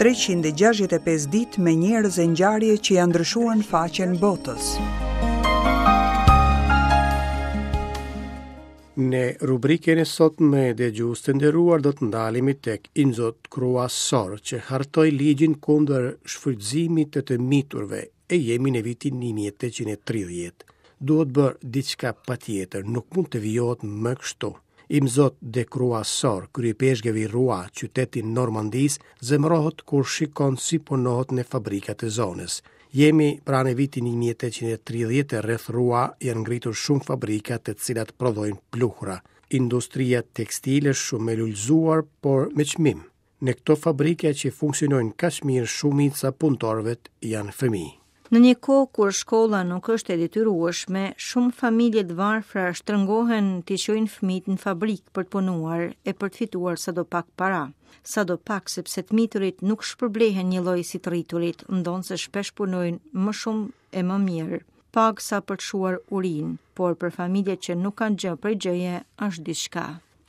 365 ditë me njerëz e ngjarje që ia ndryshuan faqen botës. Në rubrikën e sotme dëgjues të nderuar do të ndalemi tek Imzot Kruasor që hartoi ligjin kundër shfrytëzimit të të miturve e jemi në vitin 1830. Duhet bërë diçka patjetër, nuk mund të vijohet më kështu. Imzot de Kruasor, kryeipeshkëv i Rua, qytet i Normandisë, zemërohet kur shikon si punohet në fabrikat e zonës. Jemi pra në vitin 1830 e rreth Rua janë ngritur shumë fabrika të cilat prodhojnë pluhra. Industria tekstile është shumë e lulëzuar, por me çmim. Në këto fabrika që funksionojnë kaq mirë shumica e punëtorëve janë fëmijë. Në një kohë kur shkolla nuk është e detyrueshme, shumë familje të varfra shtrëngohen t'i çojnë fëmijët në fabrikë për të punuar e për të fituar sado pak para. Sado pak sepse të miturit nuk shpërblehen njëlloj si të rriturit, ndonëse shpesh punojnë më shumë e më mirë. Pagë sa për të shuar urinë, por për familjet që nuk kanë gjë prej gjëje është diçka.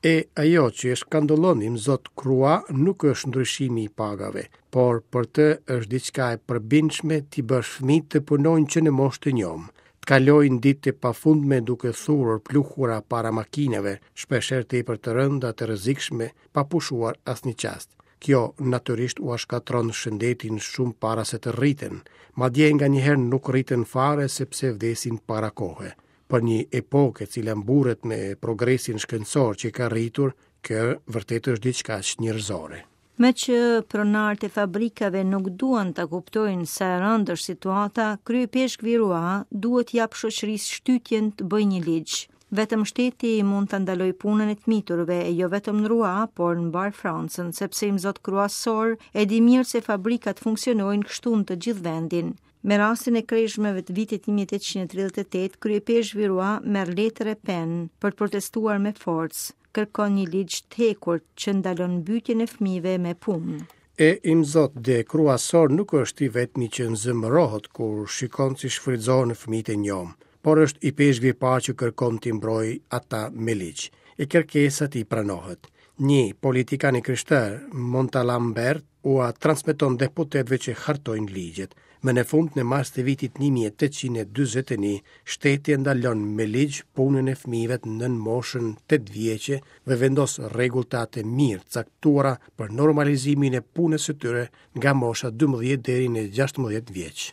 E ajo që e shkandëllon Imzot Krua nuk është ndryshimi i pagave, por për të është diçka e përbindshme t'i bësh fëmijët të punojnë që në moshë të njomë, të kalojnë ditë të pafundme duke thurur pluhura para makinave, shpeshherë tepër të rënda të rrezikshme, pa pushuar asnjë çast. Kjo natyrisht ua shkatërron shëndetin shumë para se të rriten, madje nganjëherë nuk rriten fare sepse vdesin para kohe. Për një epokë e cila mburret me progresin shkencor që ka arritur, kjo vërtet është diçka çnjerëzore. Meqë pronarët e fabrikave nuk duan ta kuptojnë sa e rëndë është situata, kryeipeshkvi i Rua duhet t'i japë shoqërisë shtytjen të bëjë një ligj. Vetëm shteti mund ta ndalojë punën e të miturve, e jo vetëm në Rua, por në mbarë Francën, sepse imzot Kruasor e di mirë se fabrikat funksionojnë kështu në të gjithë vendin. Me rastin e kreshmeve të vitit 1838, kryeipeshkvi i Rua merr letër e penë për të protestuar me forcë, kërkon një ligj të hekurt që ndalon mbytjen e fëmijëve me punë. E imzot de Kruasor nuk është i vetmi që zemërohet kur shikon si shfrytëzohen fëmijët e njomë, por është ipeshkvi i parë që kërkon t'i mbrojë ata me ligj. E kërkesa e tij pranohet. Një politikan i krishterë, Montalambert, ua transmeton deputetëve që hartojnë ligjet. Më në fund, në mars të vitit 1841, shteti e ndalon me ligj punën e fëmijëve nën moshën 8 vjeçe dhe vendos rregulla të mirëcaktuara për normalizimin e punës së tyre nga mosha 12 deri në 16 vjeç.